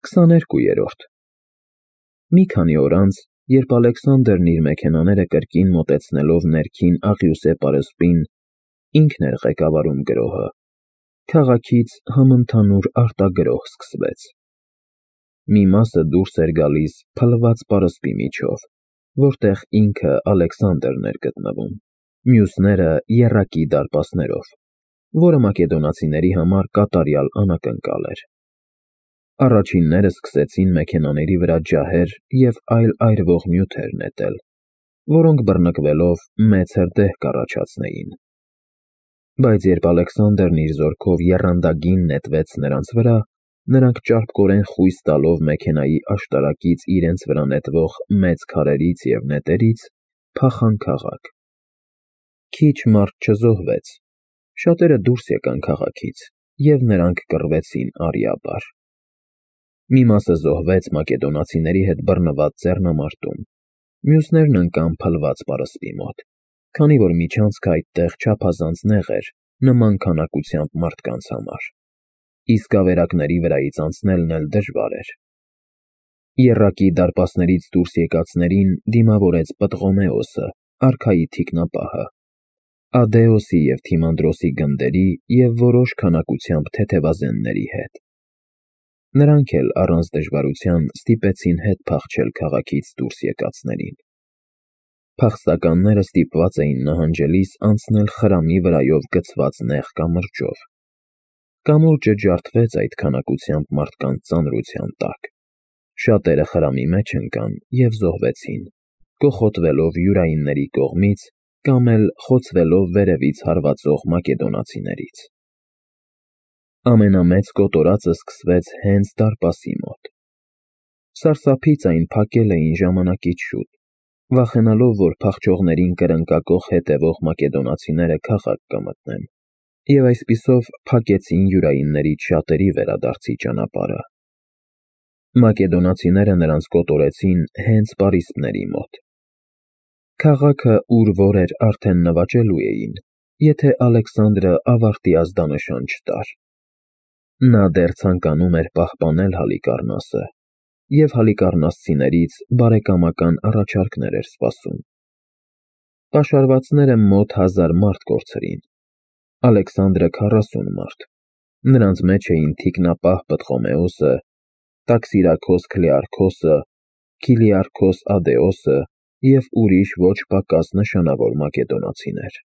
22-րդ Մի քանի օր անց, երբ Ալեքսանդրն իր մեքենաները կրկին մոտեցնելով ներքին աղյուսե պարսպին, ինքն էր ղեկավարում գրոհը, քաղաքից համընդհանուր արտագրոհ սկսվեց։ Մի մասը դուրս էր գալիս փլված պարսպի միջով, որտեղ ինքը Ալեքսանդրն էր գտնվում, մյուսները եռակի դարպասներով, որը մակեդոնացիների համար կատարյալ անակնկալ էր։ Առաջինները սկսեցին մեքենաների վրա ջահեր և այլ այրվող նյութեր նետել, որոնք բռնկվելով մեծ հրդեհ կառաջացնեին։ Բայց երբ Ալեքսանդրն իր զորքով եռանդագին նետվեց նրանց վրա, նրանք ճարպկորեն խույս տալով մեքենայի աշտարակից իրենց վրա նետվող մեծ քարերից և նետերից, փախան քաղաք։ Քիչ մարդ չզոհվեց, շատերը դուրս եկան քաղաքից, և նրանք կռվեցին արիաբար։ Մի մասը զոհվեց մակեդոնացիների հետ բռնված ձեռնամարտում, մյուսներն ընկան փլված պարսպի մոտ, քանի որ միջանցքը այդտեղ չափազանց նեղ էր նման քանակությամբ մարդկանց համար, իսկ ավերակների վրայից անցնելն էլ դժվար էր։ Եռակի դարպասներից դուրս եկածներին դիմավորեց Պտղոմեոսը, արքայի թիկնապահը, Ադեոսի և Թիմանդրոսի գնդերի և որոշ քանակությամբ թեթևազենների հետ։ Նրանք էլ առանց դժվարության ստիպեցին հետ փախչել քաղաքից դուրս եկածներին։ Փախստականները ստիպված էին նահանջելիս անցնել խրամի վրայով գցված նեղ կամրջով։ Կամուրջը ջարդվեց այդ քանակությամբ մարդկանց ծանրության տակ։ Շատերը խրամի մեջ ընկան և զոհվեցին, կոխոտվելով յուրայինների կողմից կամ էլ խոցվելով վերևից հարվածող մակեդոնացիներից։ Ամենամեծ կոտորածը սկսվեց հենց դարպասի մոտ։ Սարսափից այն փակել էին ժամանակից շուտ, վախենալով, որ փախչողներին կրնկակոխ հետևող մակեդոնացիները քաղաք կմտնեն, և այսպիսով փակեցին յուրայիններից շատերի վերադարձի ճանապարհը։ Մակեդոնացիները նրանց կոտորեցին հենց պարիսպների մոտ։ Քաղաքը ուր որ էր արդեն նվաճելու էին, եթե Ալեքսանդրը ավարտի ազդանշան չտար։ Նա դեռ ցանկանում էր պահպանել Հալիկառնասը և հալիկառնասցիներից բարեկամական առաջարկներ էր սպասում։ Պաշարվածները մոտ 1000 մարդ կորցրին, Ալեքսանդրը 40 մարդ, նրանց մեջ էին թիկնապահ Պտղոմեոսը, Տաքսիրաքոս Քլեարքոսը, Քիլիարքոս Ադեոսը և ուրիշ ոչ պակաս նշանավոր մակեդոնացիներ։